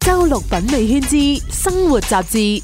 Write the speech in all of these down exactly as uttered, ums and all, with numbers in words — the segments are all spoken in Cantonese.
周六品味圈之生活雜誌。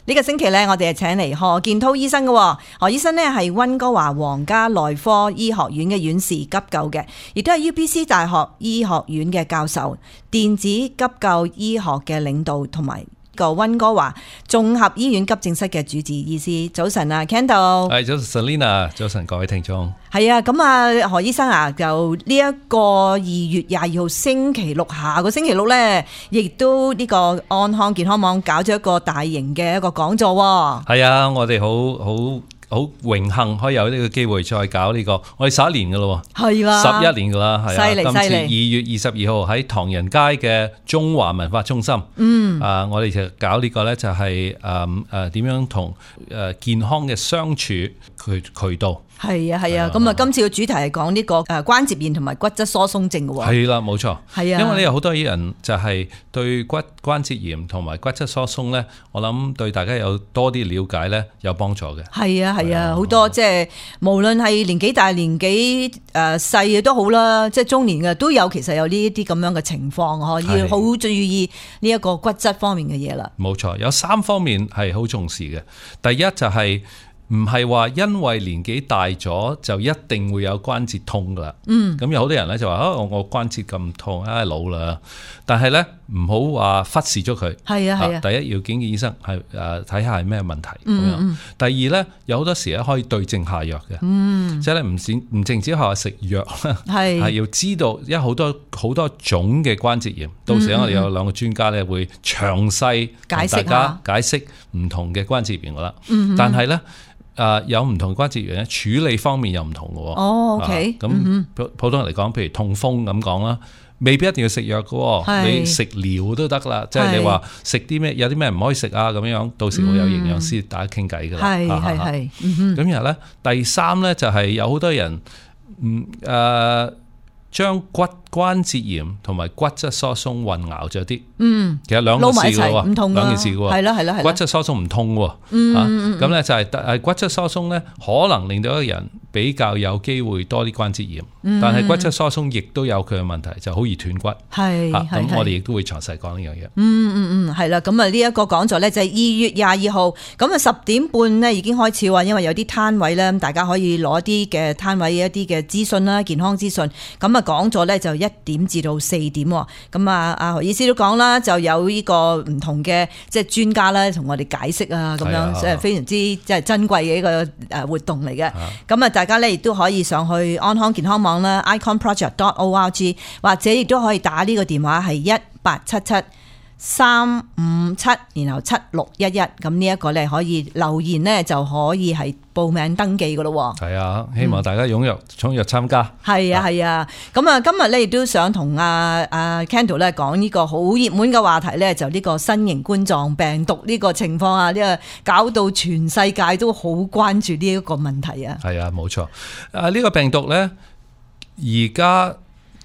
呢個星期咧，我哋係請嚟何建滔醫生嘅。何醫生呢係溫哥華皇家內科醫學院嘅院士急救嘅，亦都係 U B C 大學醫學院嘅教授，電子急救醫學嘅領導，同埋個溫哥華綜合醫院急症室嘅主治醫師。早晨啊 Kendall。係早晨 Selina， 早晨各位聽眾。係啊，咁啊何醫生啊，就呢一個二月廿二號星期六，下個星期六咧，亦都呢個安康健康網搞咗一個大型嘅一個講座。係啊，我哋好好好榮幸可以有呢個機會再搞呢、這個，我哋十一年噶咯，係啦，十一年噶啦，係啊，犀利今次犀利。二月二十二號喺唐人街嘅中華文化中心，嗯，啊，我哋就搞呢個咧就係誒誒點樣同誒健康嘅相處渠渠道。係啊係啊，咁啊今次嘅主題係講呢個誒關節炎同埋骨質疏鬆症嘅喎。係啦，冇錯。係啊，因為咧有好多人就係對骨關節炎同埋骨質疏鬆咧，我諗對大家有多啲了解咧，有幫助嘅。係啊係啊，好多即係無論係年紀大年紀誒細嘅都好啦，即係中年嘅都有，其實有呢一啲咁樣嘅情況，嗬，要好注意呢一個骨質方面嘅嘢啦。冇錯，有三方面係好重視嘅。第一就係、是。唔係話因為年紀大咗就一定會有關節痛噶啦，嗯，咁有好多人咧就話啊我我關節咁痛啊老啦，但係咧唔好話忽視咗佢，係啊係啊，第一要見見醫生係誒睇下係咩問題咁樣，嗯嗯，第二咧有好多時咧可以對症下藥嘅，嗯，即係咧唔止唔淨止係話食藥啦，係係要知道，因為好多好多種嘅關節炎，到時我哋有兩個專家咧會詳細同大家解釋唔同嘅關節炎噶啦，嗯，但係咧。誒、呃、有唔同關節炎咧，處理方面又唔同嘅喎。哦 ，OK。咁、嗯、普通人嚟講，譬如痛風咁講啦，未必一定要食藥嘅，你食療都得啦。即係你話食啲咩，有啲咩唔可以食啊咁樣，到時會有營養師大家傾偈㗎啦。係係係。咁然後咧，第三咧就係有好多人唔誒。呃將骨關節炎同埋骨質疏鬆混淆咗啲，嗯，其實兩件事嘅喎，唔同兩件事嘅喎，係啦係啦係啦，骨質疏鬆唔痛喎，嗯，咁、啊、咧就係誒骨質疏鬆咧，可能令到一個人比較有機會多啲關節炎，嗯、但係骨質疏鬆亦都有佢嘅問題，就好易斷骨，係，咁、啊、我哋亦都會詳細講呢樣嘢。嗯嗯嗯，係啦，咁啊呢一個講座咧就係二月廿二號，咁啊十點半咧已經開始喎，因為有啲攤位咧，大家可以攞啲嘅攤位一啲嘅資訊啦，健康資訊，咁啊。講咗咧就一點至到四點，咁啊阿何醫師都講啦，就有呢個唔同嘅即係專家咧同我哋解釋啊，咁樣即係非常之即係珍貴嘅一個誒活動嚟嘅。咁啊大家咧亦都可以上去安康健康網啦 icon project dot org， 或者亦都可以打呢個電話係一八七七三五七，然後七六一一，咁呢一個咧可以留言咧就可以係報名登記噶咯。係啊，希望大家踴躍踴躍參加。係啊係啊，咁啊今日咧亦都想同阿阿 Kendall 咧講呢個好熱門嘅話題咧，就呢個新型冠狀病毒呢個情況啊，呢個搞到全世界都好關注呢一個問題啊。係啊，冇錯。啊呢個病毒咧，而家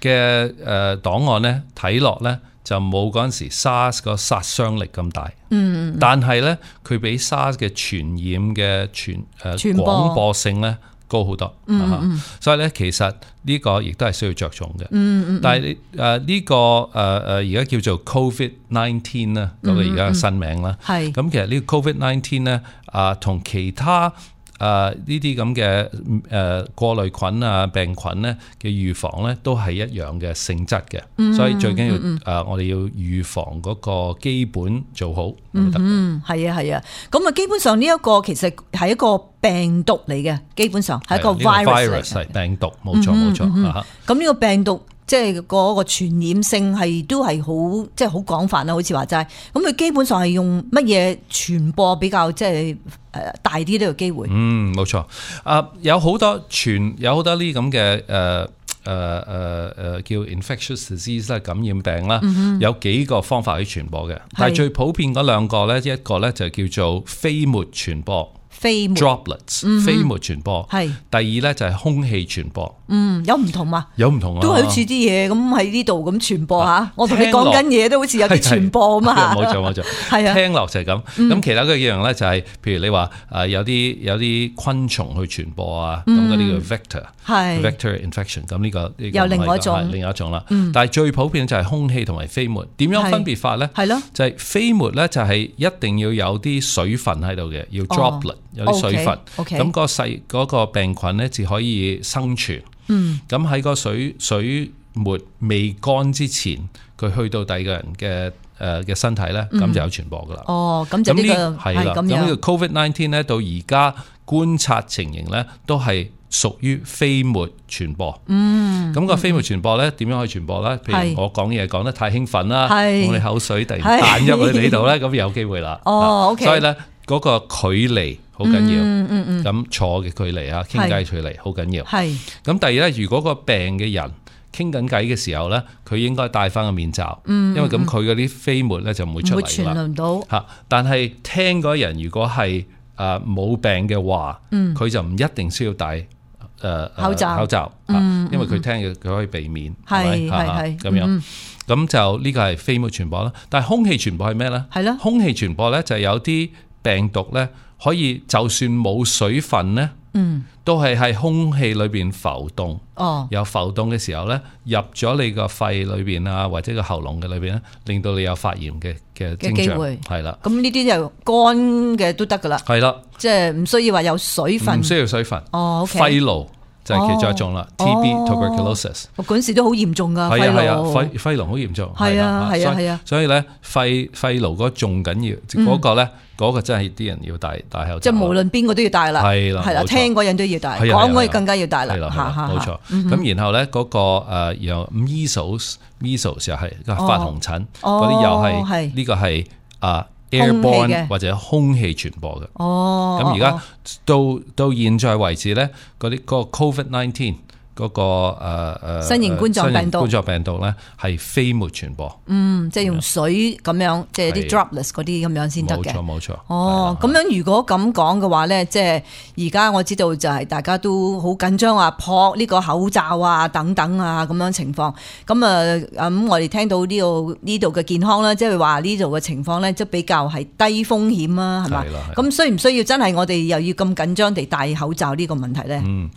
嘅誒檔案咧睇落咧。就冇嗰陣時 SARS 個殺傷力咁大，嗯，但係咧佢比 SARS 嘅傳染嘅傳誒廣播性咧高好多，嗯嗯，所以咧其實呢個亦都係需要着重嘅，嗯嗯，但係誒呢個誒誒而家叫做 COVID nineteen 啦，嗰個而家嘅新名啦，係，咁其實呢個 COVID nineteen 咧啊同其他。誒呢啲咁嘅誒過濾菌啊病菌咧嘅預防咧都係一樣嘅性質嘅，嗯、所以最緊要誒、嗯呃、我哋要預防嗰個基本做好。嗯，係啊係啊，咁啊基本上呢一個其實係一個病毒嚟嘅，基本上係一個 virus 係病毒，冇錯冇錯嚇。咁呢、嗯嗯、個病毒。即係嗰個傳染性係都係好即係好廣泛啦，好似話齋。咁佢基本上係用乜嘢傳播比較即係誒大啲呢個機會？嗯，冇錯。啊，有好多傳有好多呢咁嘅誒誒誒誒叫 infectious disease 啦，感染病啦，嗯、有幾個方法去傳播嘅。但係最普遍嗰兩個咧，一個咧就叫做飛沫傳播。飛沫 droplets 飛沫傳播。係第二咧就係空氣傳播。嗯，有唔同嘛？有唔同啊，都係好似啲嘢咁喺呢度咁傳播嚇。啊我同你講緊嘢都好似有啲傳播啊嘛。冇錯冇錯，係啊。聽落就係咁。咁其他嗰幾樣咧就係，譬如你話誒有啲有啲昆蟲去傳播啊，咁嗰啲叫 vector，係 vector infection。咁呢個呢個有另外一種，另一種啦。但係最普遍就係空氣同埋飛沫。點樣分別法咧？係咯，就係飛沫咧就係一定要有啲水分喺度嘅，要 droplet 有啲水分。咁嗰個細嗰個病菌咧至可以生存。嗯，咁喺個水水沫未乾之前，佢去到第二個人嘅誒嘅身體咧，咁、嗯、就有傳播噶啦。哦，咁就呢、這個係咁樣。咁呢個 Covid 十九 咧，到而家觀察情形咧，都係屬於飛沫傳播。嗯，咁個飛沫傳播咧，點樣可以傳播咧？譬如我講嘢講得太興奮啦，我哋口水突然彈入去呢度咧，咁有機會啦。哦 ，OK。所以咧，嗰個距離好緊要，嗯嗯嗯，咁坐嘅距離啊，傾偈距離好緊要。係。咁第二咧，如果個病嘅人傾緊偈嘅時候咧，佢應該戴翻個面罩，嗯嗯嗯，因為咁佢嗰啲飛沫咧就唔會出嚟啦。唔會傳輪到。嚇！但係聽嗰人如果係誒冇病嘅話，佢、嗯、就唔一定需要戴誒、呃、口罩口罩，嗯嗯，因為佢聽嘅佢可以避免，係係係咁樣。咁、嗯、就呢個係飛沫傳播啦。但係空氣傳播係咩咧？係咯。空氣傳播咧就係有啲病毒咧可以就算冇水分咧。嗯，都係喺空氣裏邊浮動，哦，有浮動嘅時候咧，入咗你個肺裏邊啊，或者個喉嚨嘅裏邊咧，令到你有發炎嘅嘅徵象，係啦。咁呢啲就乾嘅都得噶啦，係啦，即係唔需要話有水分，唔需要水分。哦，肺癆就係其中一種啦 ，T B tuberculosis。我嗰陣時都好嚴重噶，係啊係啊，肺肺癆好嚴重，係啊係啊係啊。所以咧，肺肺癆嗰仲緊要，嗰個咧。嗰個真係啲人要戴戴口罩，即係無論邊個都要戴啦，係啦，係啦，聽嗰人都要戴，講嗰人更加要戴啦，係啦，冇錯。咁然後咧嗰個誒又 measles measles 又係發紅疹，嗰啲又係呢個係啊 airborne 或者空氣傳播嘅。哦，咁而家到到現在為止咧，嗰啲個 Covid 十九。嗰、那個誒誒、呃、新型冠狀病毒，冠狀病毒咧係飛沫傳播，嗯，即係用水咁樣，即係啲 droplets 嗰啲咁樣先得嘅，冇錯冇錯。哦，咁樣如果咁講嘅話咧，即係而家我知道就係大家都好緊張啊，撲呢個口罩啊等等啊咁樣情況。咁啊咁我哋聽到呢度呢度嘅健康啦，即係話呢度嘅情況咧，即係比較係低風險啊，係嘛？咁需唔需要真係我哋又要咁緊張地戴口罩呢個問題咧？嗯，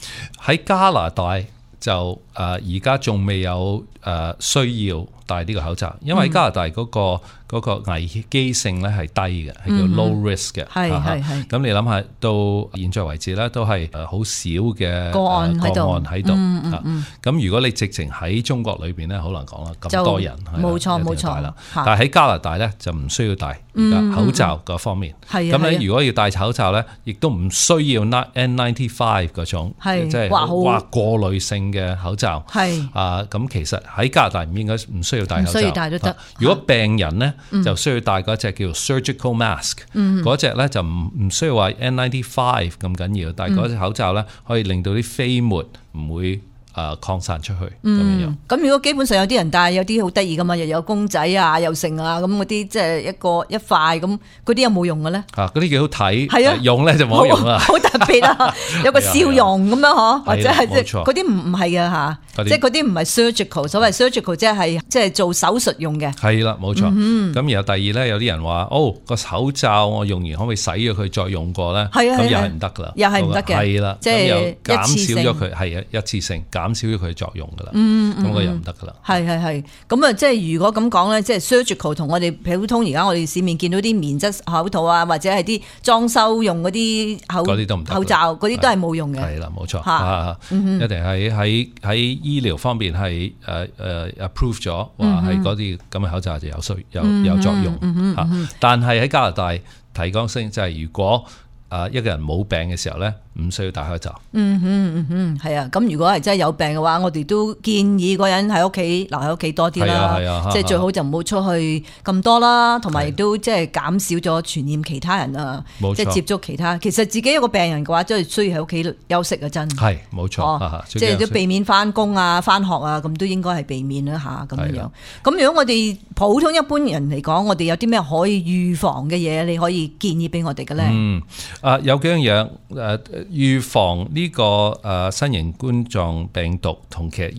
喺加拿大。就誒而家仲未有誒、呃、需要戴呢個口罩，因為加拿大嗰、那個嗰、那個危機性咧係低嘅，係叫 low risk 嘅。係係係。咁你諗下，到現在為止咧，都係誒好少嘅個案喺度。個案喺度。嗯嗯嗯。咁如果你直情喺中國裏邊咧，好難講啦，咁多人。冇錯冇錯。但係喺加拿大咧就唔需要戴而家口罩嗰方面。係咁咧，如果要戴口罩咧，亦都唔需要 N 九十五 嗰種，即係話過濾性嘅口罩。係。啊，咁其實喺加拿大唔應該唔需要戴口罩。需要戴都得。如果病人咧，嗯、就需要戴嗰隻叫 surgical mask，嗰隻咧就唔唔需要話 N 九十五 咁緊要，但係嗰隻口罩咧可以令到啲飛沫唔會誒擴散出去咁、嗯、樣。咁如果基本上有啲人戴，有啲好得意噶嘛，又有公仔啊，又剩啊，咁嗰啲即係一個一塊咁，嗰啲有冇用嘅咧？啊，嗰啲幾好睇，係啊，用咧就冇用啦，好特別啊，有個笑容咁樣嗬，或者係即係嗰啲唔唔係嘅嚇，即係嗰啲唔係 surgical， 所謂 surgical 即係即係做手術用嘅。係啦，冇錯。咁、嗯、然後第二咧，有啲人話哦個口罩我用完可唔可以洗咗佢再用過咧？係啊，咁又係唔得噶啦，又係唔得嘅。係啦，即係又減少咗佢，係啊，一次性減少咗佢作用噶啦。嗯咁個又唔得噶啦。係係係。咁啊，即係如果咁講咧，即係 surgical 同我哋普通而家我哋市面見到啲棉質口套啊，或者係啲裝修用嗰啲口嗰啲都唔得，口罩嗰啲都係冇用嘅。係啦，冇錯。嚇，一定係喺喺醫療方面係誒誒 approve 咗，話係嗰啲咁嘅口罩就有需有有作用嚇、嗯。但係喺加拿大提綱聲就係如果誒一個人冇病嘅時候咧，唔需要戴口罩。嗯哼嗯哼，係啊。咁如果係真係有病嘅話，我哋都建議個人喺屋企留喺屋企多啲啦。係啊係啊，即係最好就唔好出去咁多啦，同埋亦都即係減少咗傳染其他人啊。冇錯，即係接觸其他。其實自己一個病人嘅話，真係需要喺屋企休息啊，真係冇錯。哦、即係都避免翻工啊、翻學啊，咁都應該係避免啦吓咁樣樣。咁如果我哋普通一般人嚟講，我哋有啲咩可以預防嘅嘢，你可以建議俾我哋嘅咧？嗯，啊有幾樣嘢誒預防呢個誒新型冠狀病毒同其實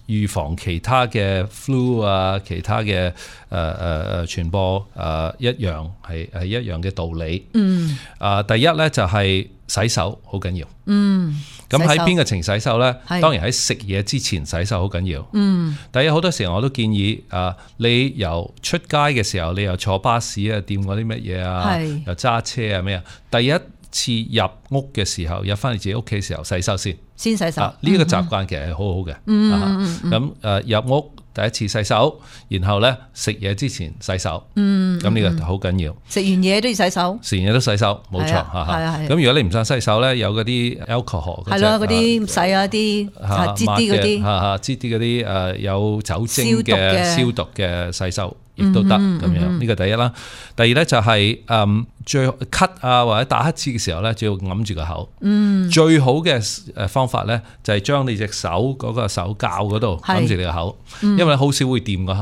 預防其他嘅 flu 啊，其他嘅誒誒誒傳播誒、呃、一樣係係一樣嘅道理。嗯。啊，第一咧就係洗手好緊要。嗯。咁喺邊個情洗手咧？當然喺食嘢之前洗手好緊要。嗯。第一好多時候我都建議啊，你由出街嘅時候，你又坐巴士啊，掂嗰啲乜嘢啊，又揸車啊咩啊，第一次入屋嘅時候，入翻嚟自己屋企嘅時候洗手先，先洗手。呢、啊這個習慣其實係好好嘅。嗯咁誒入屋第一次洗手，然後咧食嘢之前洗手。嗯。咁呢個好緊要。食完嘢都要洗手。食完嘢都洗手，冇錯嚇。係啊係。咁如果你唔想洗手咧，有嗰啲 alcohol 係咯，嗰啲洗啊啲擠啲嗰啲嚇嚇擠啲嗰啲誒有酒精嘅消毒嘅洗手。亦都得咁樣，呢個第一啦。第二咧就係誒最咳啊或者打乞嗤嘅時候咧，最要揞住個口。嗯，最好嘅誒方法咧就係將你隻手嗰個手臼嗰度揞住你個口，因為好少會掂個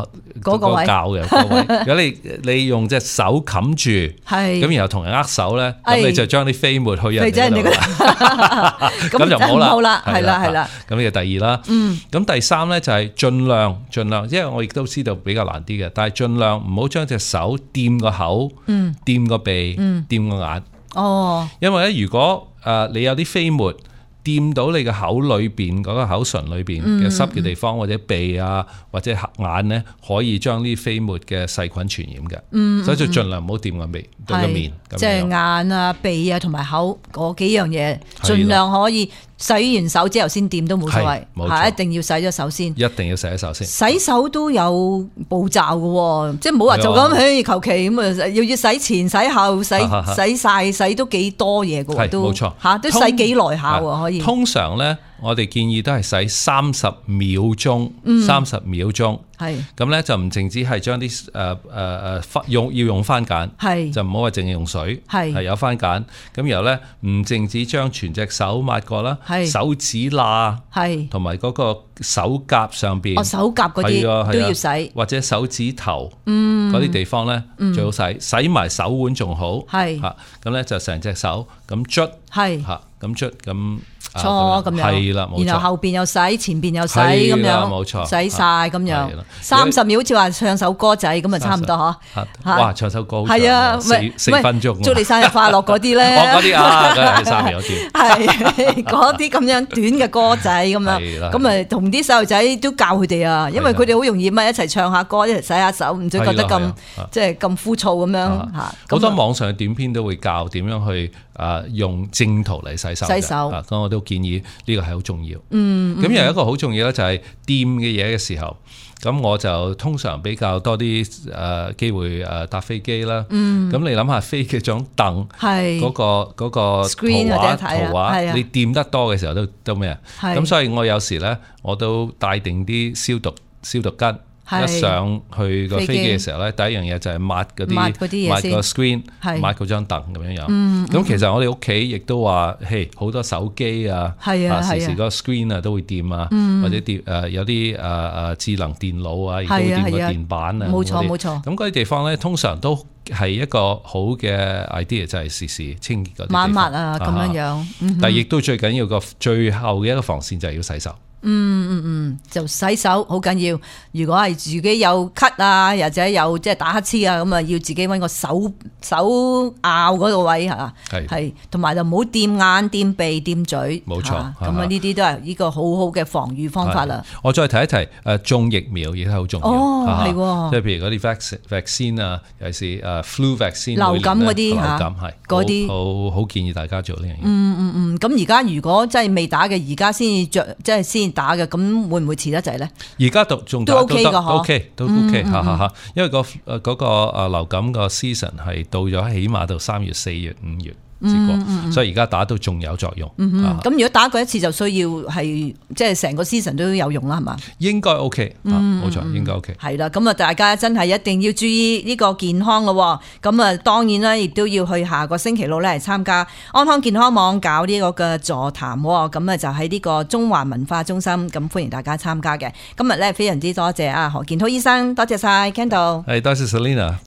嗰個臼嘅嗰位。如果你你用隻手冚住，係咁然後同人握手咧，咁你就將啲飛沫去人哋嗰度啦。咁就唔好啦，係啦係啦。咁呢個第二啦。嗯。咁第三咧就係盡量盡量，因為我亦都知道比較難啲嘅，但係盡量唔好將隻手掂個口，掂個鼻，掂個眼。哦，因為咧，如果誒你有啲飛沫掂到你個口裏邊嗰個口唇裏邊嘅濕嘅地方，或者鼻啊，或者眼咧，可以將呢啲飛沫嘅細菌傳染嘅。嗯，所以就盡量唔好掂個鼻對個面。即係眼啊、鼻啊同埋口嗰幾樣嘢，盡量可以。洗完手之後先掂都冇所謂，係一定要洗咗手先。一定要洗咗手先。洗手都有步驟嘅，即係唔好話就咁，嘿求其咁啊！要要洗前、洗後、洗洗晒、洗都幾多嘢嘅，都冇錯嚇，都洗幾耐下可以。通常咧，我哋建議都係洗三十秒鐘，三十秒鐘。係咁咧，就唔淨止係將啲誒誒誒用要用番梘，係就唔好話淨係用水，係係有番梘。咁然後咧，唔淨止將全隻手抹過啦。手指罅，係同埋嗰個手甲上邊，哦手甲嗰啲都要洗，或者手指頭，嗯嗰啲地方咧最好洗，洗埋手腕仲好，係吓咁咧就成隻手咁捽，係吓咁捽咁搓咁樣，係啦，然後後邊又洗，前邊又洗咁樣，冇錯，洗晒咁樣，三十秒好似話唱首歌仔咁啊，差唔多嗬，哇唱首歌係啊，四四分鐘，祝你生日快樂嗰啲咧，嗰啲啊，嗰係三秒段，係嗰啲咁樣短嘅歌仔咁樣，咁啊同啲細路仔都教佢哋啊，因為佢哋好容易咪一齊唱下歌，一齊洗下手，唔使覺得咁即係咁枯燥咁樣吓。好多網上嘅短片都會教點樣去誒用正途嚟洗手，洗手啊，咁我都建議呢個係好重要。嗯，咁又有一個好重要咧，就係掂嘅嘢嘅時候，咁我就通常比較多啲誒機會誒搭飛機啦。嗯，咁你諗下飛機張凳，係嗰個嗰個圖畫圖畫，你掂得多嘅時候都都咩啊？咁所以我有時咧，我都帶定啲消毒消毒巾。一上去個飛機嘅時候咧，第一樣嘢就係抹嗰啲抹個 screen，抹嗰張凳咁樣樣。咁、嗯嗯、其實我哋屋企亦都話，嘿好多手機啊，啊時時嗰個 screen 啊都會掂啊，嗯、或者掂誒有啲誒誒智能電腦啊，亦都會掂個電板啊。冇錯冇錯。咁嗰啲地方咧，通常都係一個好嘅 idea，就係時時清潔嗰啲地方。抹抹啊咁樣樣。嗯、但係亦都最緊要個最後嘅一個防線就係要洗手。嗯嗯嗯，就洗手好緊要。如果係自己有咳啊，或者有即係打乞嗤啊，咁啊要自己搵個手手拗嗰個位吓，係係，同埋就唔好掂眼、掂鼻、掂嘴。冇錯，咁啊呢啲都係呢個好好嘅防禦方法啦。我再提一提，誒，種疫苗亦都好重要。哦，係，即係譬如嗰啲 vaccine vaccine 啊，尤其是誒 flu vaccine 流感嗰啲吓，流感係嗰啲好好建議大家做呢樣嘢。嗯嗯嗯，咁而家如果真係未打嘅，而家先着即係先打嘅，咁會唔會遲得滯咧？而家都仲都 OK 噶，都 OK 都 OK 吓吓吓，因為個誒嗰個誒流感個 season 係到咗起碼到三月、四月、五月。試過，所以而家打都仲有作用。咁、啊、如果打過一次就需要係即係成個 season 都有用啦，係嘛？應該 OK，冇、啊、錯，應該 OK。係啦，咁啊，大家真係一定要注意呢個健康咯。咁啊，當然啦，亦都要去下個星期六咧嚟參加安康健康網搞呢個嘅座談。咁啊，就喺呢個中環文化中心，咁歡迎大家參加嘅。今日咧非常之多謝啊何健滔醫生，多謝晒 Kendall，係多謝 Selina。